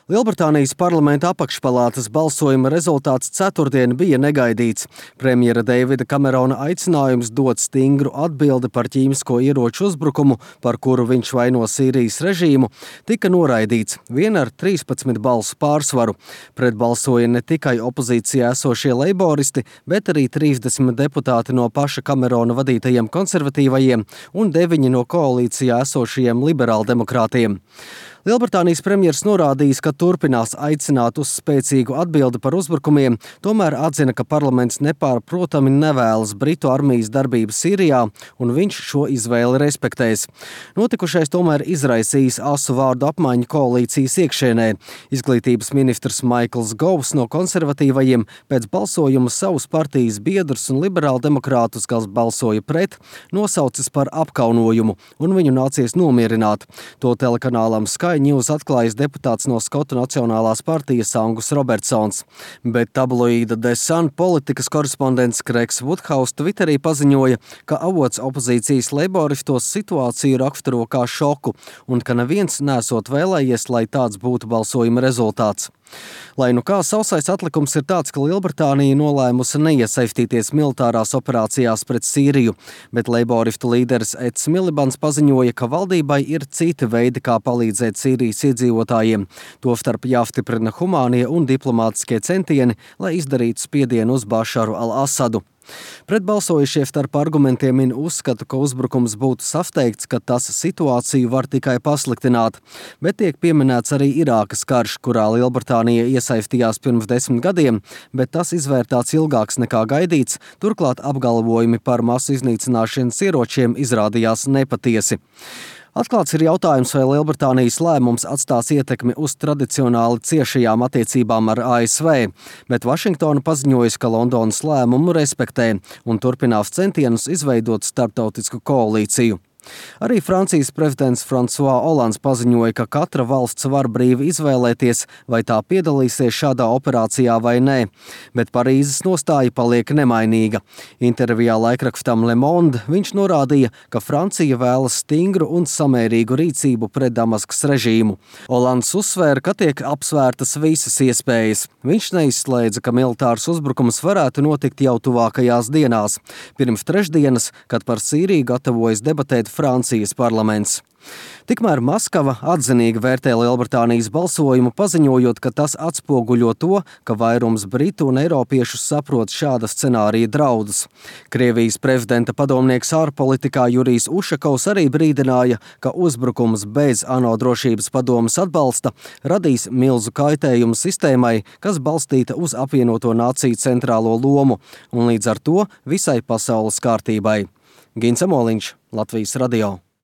Lielbritānijas parlamenta apakšpalātas balsojuma rezultāts ceturtdien bija negaidīts. Premjera Deivida Kamerona aicinājums dot stingru atbildi par ķīmisko ieroču uzbrukumu, par kuru viņš vaino Sīrijas režīmu, tika noraidīts vien ar 13 balsu pārsvaru. Pretbalsoja ne tikai opozīcijā esošie leiboristi, bet arī 30 deputāti no paša Kamerona vadītajiem konservatīvajiem un 9 no koalīcijā esošajiem liberāldemokrātiem. Lielbritānijas premjers norādījis, ka turpinās aicināt uz spēcīgu atbildi par uzbrukumiem, tomēr atzina, ka parlaments nepārprotami nevēlas Britu armijas darbību Sīrijā, un viņš šo izvēli respektēs. Notikušais tomēr izraisījis asu vārdu apmaiņu koalīcijas iekšēnē. Izglītības ministrs Maikls Govs no konservatīvajiem pēc balsojuma savus partijas biedrus un liberāldemokrātus, kas balsoja pret, nosaucis par apkaunojumu, un viņu nācies nomierināt. To telekanālam Sky News atklājis deputāts no Skotu Nacionālās partijas Angus Robertsons, bet tabloīda The Sun politikas korespondents Kreigs Woodhouse Twitterī paziņoja, ka avots opozīcijas leiboristos situāciju raksturo kā šoku un ka neviens nesot vēlējies, lai tāds būtu balsojuma rezultāts. Lai nu kā sausais atlikums ir tāds, ka Lielbritānija nolēmusi neiesaistīties militārās operācijās pret Sīriju, bet leiboristu līderis Eds Milibans paziņoja, ka valdībai ir citi veidi, kā palīdzēt Sīrijas iedzīvotājiem. Tostarp jāstiprina humānie un diplomātiskie centieni, lai izdarītu spiedienu uz Bašaru al-Asadu. Pretbalsojušie starp argumentiem min uzskatu, ka uzbrukums būtu sasteigts, ka tas situāciju var tikai pasliktināt, bet tiek pieminēts arī Irākas karš, kurā Lielbritānija iesaistījās pirms 10 gadiem, bet tas izvērtāts ilgāks nekā gaidīts, turklāt apgalvojumi par masu iznīcināšanas ieročiem izrādījās nepatiesi. Atklāts ir jautājums, vai Lielbritānijas lēmums atstās ietekmi uz tradicionāli ciešajām attiecībām ar ASV, bet Vašingtona paziņojas, ka Londonas lēmumu respektē un turpinās centienus izveidot starptautisku koalīciju. Arī Francijas prezidents François Hollands paziņoja, ka katra valsts var brīvi izvēlēties, vai tā piedalīsies šādā operācijā vai nē, bet Parīzes nostāja paliek nemainīga. Intervijā laikrakstam Le Monde viņš norādīja, ka Francija vēlas stingru un samērīgu rīcību pret Damaskas režīmu. Hollands uzsvēra, ka tiek apsvērtas visas iespējas. Viņš neizslēdza, ka militārs uzbrukums varētu notikt jau tuvākajās dienās, pirms trešdienas, kad par Sīriju gatavojas debatēt Francijas parlaments. Tikmēr Maskava atzinīgi vērtē Lielbritānijas balsojumu, paziņojot, ka tas atspoguļo to, ka vairums britu un eiropiešu saprot šāda scenārija draudus. Krievijas prezidenta padomnieks ārpolitikā Jurijs Ušakovs arī brīdināja, ka uzbrukums bez ANO drošības padomes atbalsta radīs milzu kaitējumu sistēmai, kas balstīta uz apvienoto nāciju centrālo lomu un līdz ar to visai pasaules kārtībai. Gins Amoliņš, Latvijas radio.